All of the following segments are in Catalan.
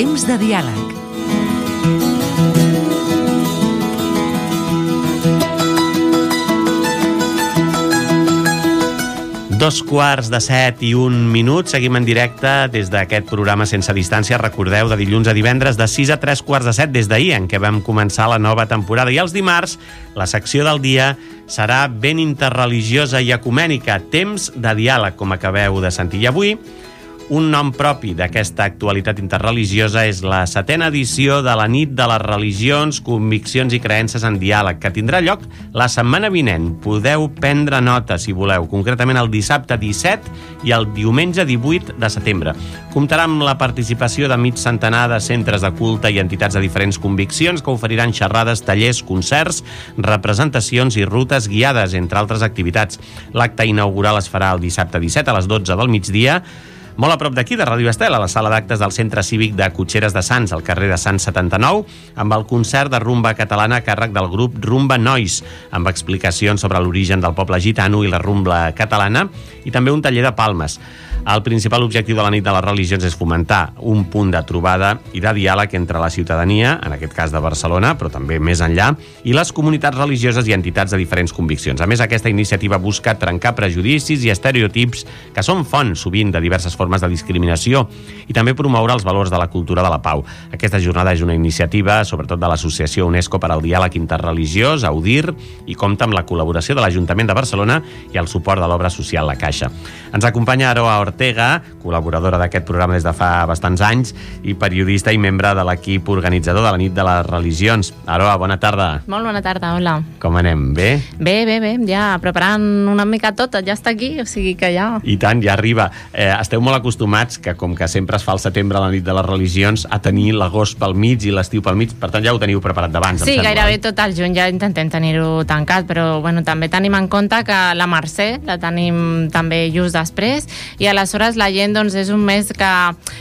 Temps de diàleg. Dos quarts de 7:01. Seguim en directe des d'aquest programa Sense Distància. Recordeu, de dilluns a divendres, de 6 a 3 quarts de 7 des d'ahir, en què vam començar la nova temporada. I els dimarts, la secció del dia serà ben interreligiosa i ecumènica. Temps de diàleg, com acabeu de sentir. I avui, un nom propi d'aquesta actualitat interreligiosa és la 7a edició de la Nit de les Religions, Conviccions i Creences en Diàleg, que tindrà lloc la setmana vinent. Podeu prendre nota, si voleu, concretament el dissabte 17 i el diumenge 18 de setembre. Comptarà amb la participació de mig centenar de centres de culte i entitats de diferents conviccions que oferiran xerrades, tallers, concerts, representacions i rutes guiades, entre altres activitats. L'acte inaugural es farà el dissabte 17 a les 12 del migdia, molt a prop d'aquí, de Ràdio Estel, a la sala d'actes del Centre Cívic de Cotxeres de Sants, al carrer de Sants 79, amb el concert de rumba catalana a càrrec del grup Rumba Nois, amb explicacions sobre l'origen del poble gitano i la rumba catalana, i també un taller de palmes. El principal objectiu de la Nit de les Religions és fomentar un punt de trobada i de diàleg entre la ciutadania, en aquest cas de Barcelona, però també més enllà, i les comunitats religioses i entitats de diferents conviccions. A més, aquesta iniciativa busca trencar prejudicis i estereotips que són font, sovint, de diverses formes de discriminació i també promoure els valors de la cultura de la pau. Aquesta jornada és una iniciativa, sobretot de l'Associació UNESCO per al Diàleg Interreligiós, AUDIR, i compta amb la col·laboració de l'Ajuntament de Barcelona i el suport de l'obra social La Caixa. Ens acompanya Aroa Ortega, col·laboradora d'aquest programa des de fa bastants anys i periodista i membre de l'equip organitzador de la Nit de les Religions. Aroa, bona tarda. Molt bona tarda, hola. Com anem? Bé? Bé, ja preparant una mica tot, ja està aquí, o sigui que ja... I tant, ja arriba. Esteu molt acostumats, que com que sempre es fa al setembre la Nit de les Religions, a tenir l'agost pel mig i l'estiu pel mig, per tant ja ho teniu preparat d'abans, sí, gairebé tot el juny ja intentem tenir-ho tancat, però bueno, també tenim en compte que la Mercè la tenim també just després, i aleshores la gent, doncs, és un mes que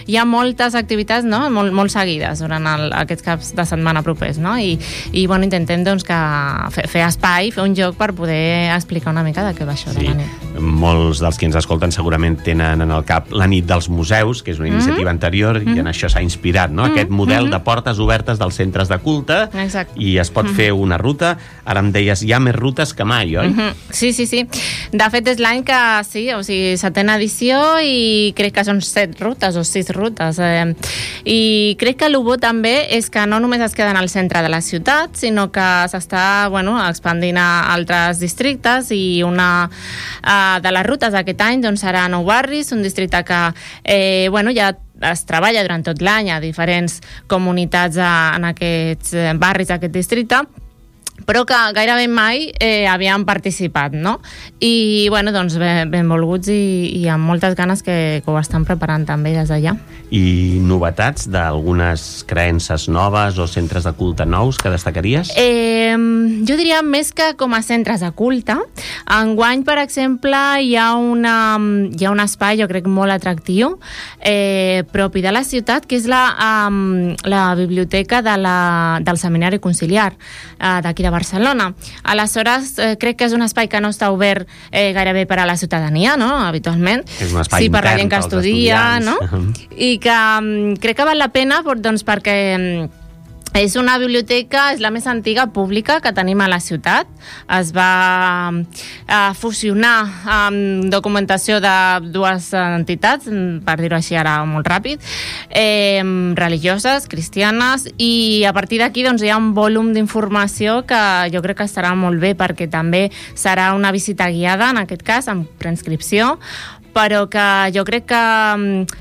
hi ha moltes activitats, no?, molt seguides durant aquests caps de setmana propers, no?, i bueno, intentem, doncs, que fer espai, fer un joc per poder explicar una mica de què va això de la nit. Molts dels que ens escolten segurament tenen en el cap la Nit dels Museus, que és una iniciativa anterior, i en això s'ha inspirat, no?, aquest model de portes obertes dels centres de culte. Exacte. I es pot fer una ruta. Ara em deies, hi ha més rutes que mai, oi? Sí. De fet, és l'any que sí, o sigui, 7a edició, i crec que són 7 rutes o 6 rutes. I crec que el bo també és que no només es queden al centre de la ciutat, sinó que s'està, bueno, expandint a altres districtes, i una de les rutes d'aquest any, doncs, serà Nou Barris, un districte que, bueno, ja es treballa durant tot l'any a diferents comunitats en aquests barris d'aquest districte, però que gairebé mai havien participat, no? I, bueno, doncs, benvolguts i amb moltes ganes que ho estan preparant també des d'allà. I novetats d'algunes creences noves o centres de culte nous que destacaries? Jo diria més que com a centres de culte. Enguany, per exemple, hi ha un espai, jo crec, molt atractiu, propi de la ciutat, que és la biblioteca del Seminari Conciliar d'aquí de Barcelona. Aleshores, crec que és un espai que no està obert gairebé per a la ciutadania, no?, habitualment. És un espai intern per la gent que estudia, estudiants, no? I que crec que val la pena, doncs, perquè és una biblioteca, és la més antiga pública que tenim a la ciutat. Es va fusionar amb documentació de dues entitats, per dir-ho així ara molt ràpid, religioses, cristianes, i a partir d'aquí, doncs, hi ha un volum d'informació que jo crec que estarà molt bé, perquè també serà una visita guiada, en aquest cas, amb transcripció, però que jo crec que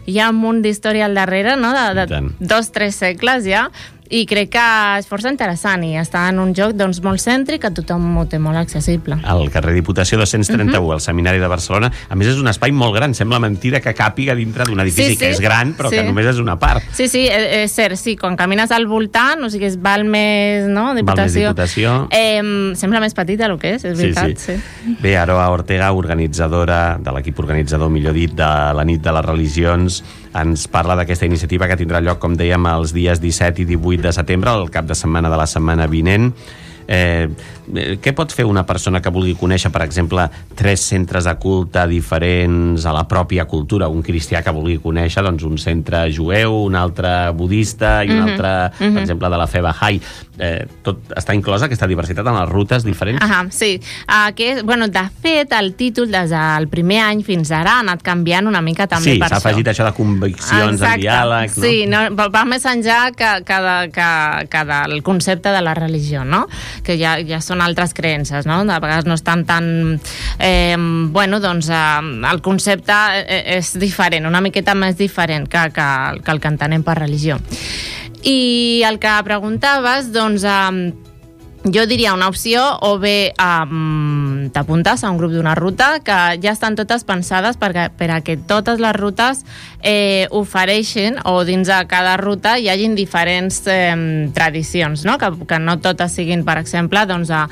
hi ha un munt d'història al darrere, no?, de 2-3 segles ja, i crec que és força interessant i està en un lloc, doncs, molt cèntric, que tothom ho té molt accessible. Al carrer Diputació 231, al Seminari de Barcelona. A més, és un espai molt gran. Sembla mentida que càpiga dintre d'un edifici que és gran, però que només és una part. Sí, és cert, sí. Quan camines al voltant, o sigui, és Balmes, no?, Diputació. Sembla més petita el que és veritat. Sí. Bé, Aroa Ortega, organitzadora de l'equip organitzador, millor dit, de la Nit de les Religions, ens parla d'aquesta iniciativa que tindrà lloc, com dèiem, els dies 17 i 18 de setembre, el cap de setmana de la setmana vinent. Què pot fer una persona que vulgui conèixer, per exemple, 3 centres de culte diferents a la pròpia cultura? Un cristià que vulgui conèixer doncs, un centre jueu, un altre budista i un altre, per exemple, de la fe Bahá'í. Tot està inclosa aquesta diversitat en les rutes diferents? Sí. De fet, el títol des del primer any fins ara ha anat canviant una mica també per això. Sí, s'ha afegit això de conviccions en diàleg, no? Sí, va més enllà que del concepte de la religió, no? Que ja són altres creences, no? De vegades no estan tan... el concepte és diferent, una miqueta més diferent que el que entenem per religió. I el que preguntaves, doncs... jo diria una opció, o bé t'apuntes a un grup d'una ruta, que ja estan totes pensades perquè totes les rutes ofereixen, o dins de cada ruta hi hagin diferents tradicions, no? Que no totes siguin, per exemple, doncs, a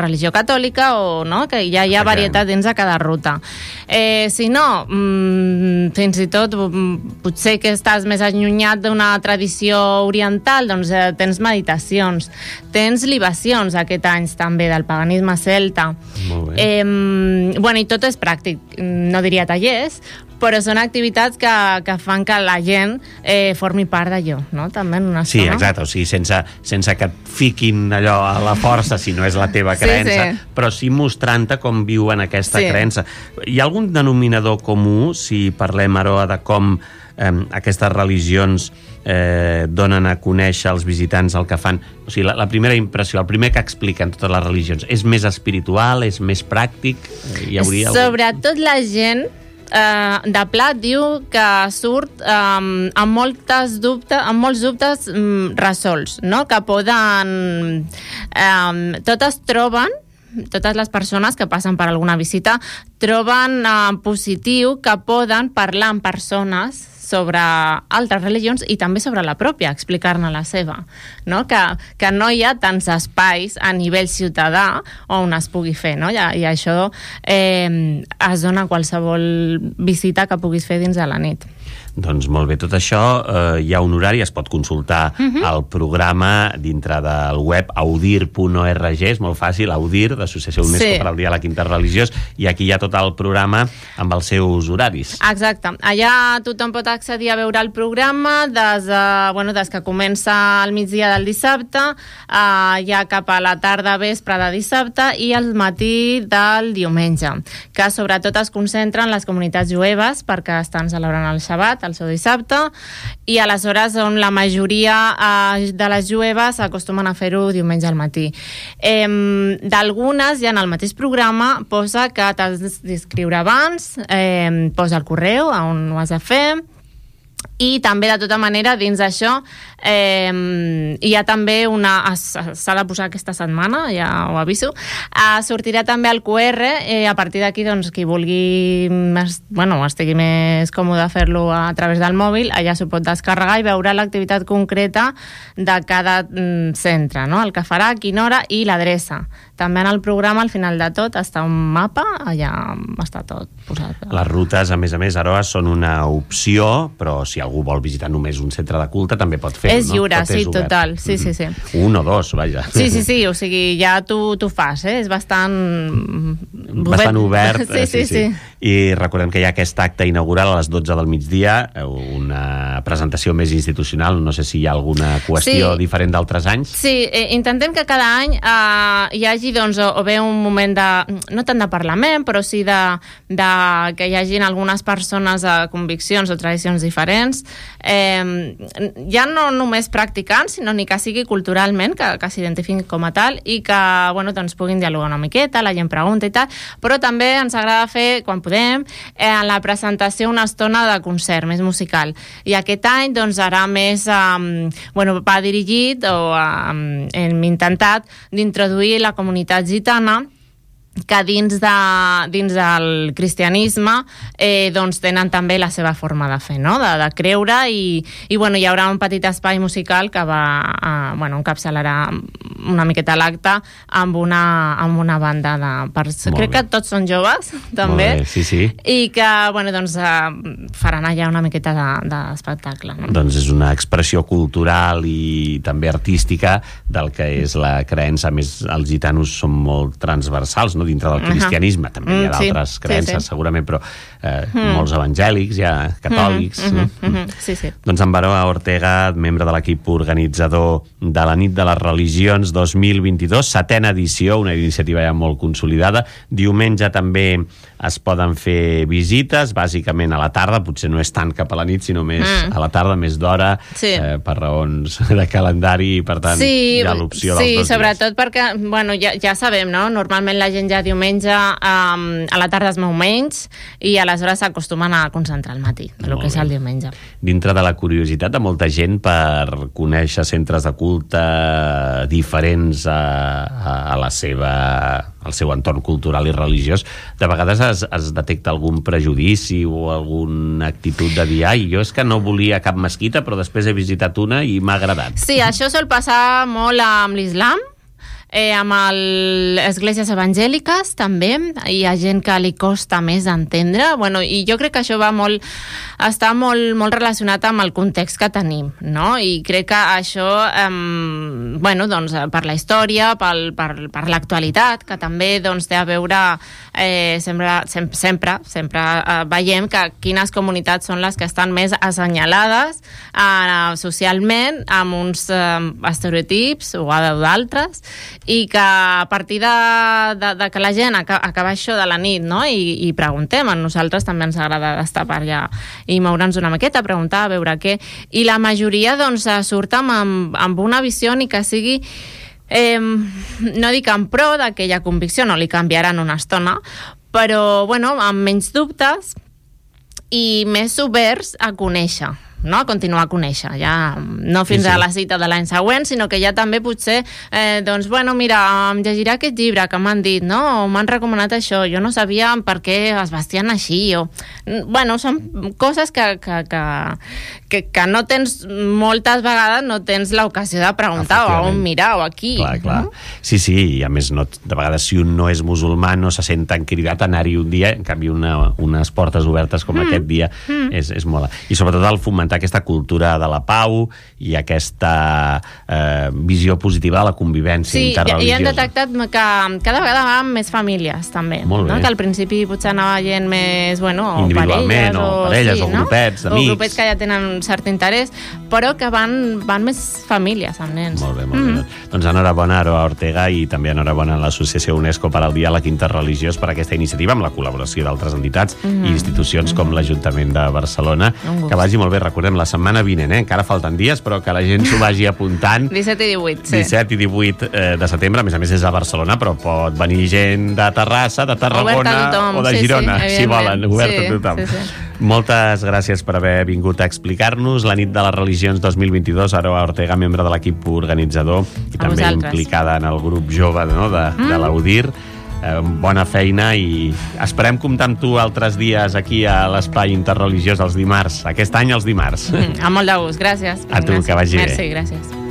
religió catòlica, o no? Que ja hi ha varietat dins de cada ruta. Si no, fins i tot potser que estàs més allunyat d'una tradició oriental, doncs tens meditacions, tens libacions aquest any també del paganisme celta. Molt bé. I tot és pràctic, no diria tallers, però són activitats que fan que la gent formi part d'allò, no? També en una Sí, estona. exacte, o sigui, sense que et fiquin allò a la força, si no és la teva creença, però sí mostrant-te com viuen aquesta creença. Hi ha algun denominador comú, si parlem, Aroa, de com aquestes religions donen a conèixer als visitants el que fan? O sigui, la primera impressió, el primer que expliquen totes les religions, és més espiritual, és més pràctic? Hi hauria Sobretot la gent de plat diu que surt amb molts dubtes resolts, no? Que poden... totes les persones que passen per alguna visita troben positiu que poden parlar amb persones sobre altres religions i també sobre la pròpia, explicar-ne la seva, no? Que no hi ha tants espais a nivell ciutadà on es pugui fer, no? I això es dona a qualsevol visita que puguis fer dins de la nit. Doncs molt bé, tot això hi ha un horari, es pot consultar al programa dintre del web audir.org, és molt fàcil, Audir, d'Associació UNESCO per al Diàleg Interreligiós, i aquí hi ha tot el programa amb els seus horaris. Exacte, allà tothom pot accedir a veure el programa des que comença al migdia del dissabte, ja cap a la tarda vespre de dissabte i al matí del diumenge, que sobretot es concentren les comunitats jueves perquè estan celebrant el Shabbat, el seu dissabte, i aleshores on la majoria de les jueves acostumen a fer-ho diumenge al matí. D'algunes, ja en el mateix programa, posa que t'has d'inscriure abans, posa el correu on ho has de fer, i també, de tota manera, dins d'això hi ha també s'ha de posar aquesta setmana, ja ho aviso, sortirà també el QR, a partir d'aquí, doncs, qui vulgui estigui més còmode a fer-lo a través del mòbil, allà s'ho pot descarregar i veurà l'activitat concreta de cada centre, no? El que farà, a quina hora i l'adreça. També en el programa, al final de tot, està un mapa, allà està tot posat. Les rutes, a més, Aroa, són una opció, però si algú vol visitar només un centre de culte, també pot fer-ho, no? És lliure, sí, total. Sí. Un o dos, vaja. Sí, o sigui, ja tu fas, és bastant obert. Sí. I recordem que hi ha aquest acte inaugural a les 12 del migdia, una presentació més institucional, no sé si hi ha alguna qüestió diferent d'altres anys. Sí, intentem que cada any hi hagi, doncs, o bé un moment no tant de parlament, però sí que hi hagin algunes persones de conviccions o tradicions diferents, ja no només practicants, sinó ni que sigui culturalment, que s'identifiquin com a tal, i que, doncs, puguin dialogar una miqueta, la gent pregunta i tal, però també ens agrada fer, quan podem, en la presentació una estona de concert més musical. I aquest any, doncs, serà més, va dirigit, o hem intentat d'introduir la comunitat gitana que dins del cristianisme doncs tenen també la seva forma de fer, no? de creure, i bueno, hi haurà un petit espai musical que va encapçalarà una miqueta l'acte amb una banda crec que tots són joves també. Molt bé, sí. I que doncs, faran allà una miqueta d'espectacle, no? Doncs és una expressió cultural i també artística del que és la creença. A més, els gitanos són molt transversals, no? Dintre del cristianisme, també hi ha d'altres creences, segurament, però molts evangèlics, catòlics. Sí. Doncs en Aroa Ortega, membre de l'equip organitzador de la Nit de les Religions 2022, 7ª edició, una iniciativa ja molt consolidada. Diumenge també es poden fer visites, bàsicament a la tarda, potser no és tant cap a la nit, sinó més a la tarda, més d'hora, per raons de calendari, i per tant hi ha l'opció dels 2 dies. Sí, sobretot perquè, ja sabem, no? Normalment la gent ja diumenge a la tarda es mou menys i aleshores s'acostumen a concentrar al matí, el que és el diumenge. Dintre de la curiositat de molta gent per conèixer centres de culte diferents al seu entorn cultural i religiós, de vegades es detecta algun prejudici o alguna actitud de dir jo és que no volia cap mesquita però després he visitat una i m'ha agradat. Sí, això sol passar molt amb l'islam, amb les esglésies evangèliques també, hi ha gent que li costa més d'entendre, i jo crec que això està molt relacionat amb el context que tenim, no? I crec que això doncs, per la història, per l'actualitat, que també doncs, té a veure sempre veiem que quines comunitats són les que estan més assenyalades socialment amb uns estereotips o d'altres, i que a partir de que la gent acaba això de la nit, no? I preguntem, a nosaltres també ens agrada estar per allà i moure'ns una miqueta, preguntar, a veure què, i la majoria doncs surt amb una visió ni que sigui no dic en pro d'aquella convicció, no li canviaran una estona, però amb menys dubtes i més oberts a conèixer, no? A continuar a conèixer, ja no fins a la cita de l'any següent, sinó que ja també potser mira, em llegiré aquest llibre que m'han dit, no? O m'han recomanat això, jo no sabia per què es vestien així, són coses que no tens, moltes vegades no tens l'ocasió de preguntar o on mirar o aquí. Clar. No? Sí, i a més de vegades si un no és musulmà no se sent tan cridat a anar-hi un dia, en canvi unes portes obertes com aquest dia és molt... I sobretot el fomentar aquesta cultura de la pau i aquesta visió positiva de la convivència interreligiosa. I hem detectat que cada vegada va amb més famílies, també. Molt bé. Que al principi potser anava gent més, individualment, parelles o grupets d'amics. O grupets que ja tenen cert interès, però que van més famílies amb nens. Molt bé. Doncs enhorabona a Aroa Ortega i també enhorabona a l'Associació UNESCO per al Diàleg Interreligiós per aquesta iniciativa, amb la col·laboració d'altres entitats i institucions com l'Ajuntament de Barcelona. Que vagi molt bé. Recordem, la setmana vinent, encara falten dies, però que la gent s'ho vagi apuntant. 17 i 18, sí. 17 i 18 de setembre, a més és a Barcelona, però pot venir gent de Terrassa, de Tarragona o de Girona, si volen, obert a tothom. Moltes gràcies per haver vingut a explicar-nos la Nit de les Religions 2022. Aroa Ortega, membre de l'equip organitzador i també implicada en el grup jove de l'Audir. Bona feina i esperem comptar amb tu altres dies aquí a l'Espai Interreligiós els dimarts. Aquest any els dimarts. Amb molt de gust, gràcies. A tu, que vagi bé. Merci, gràcies.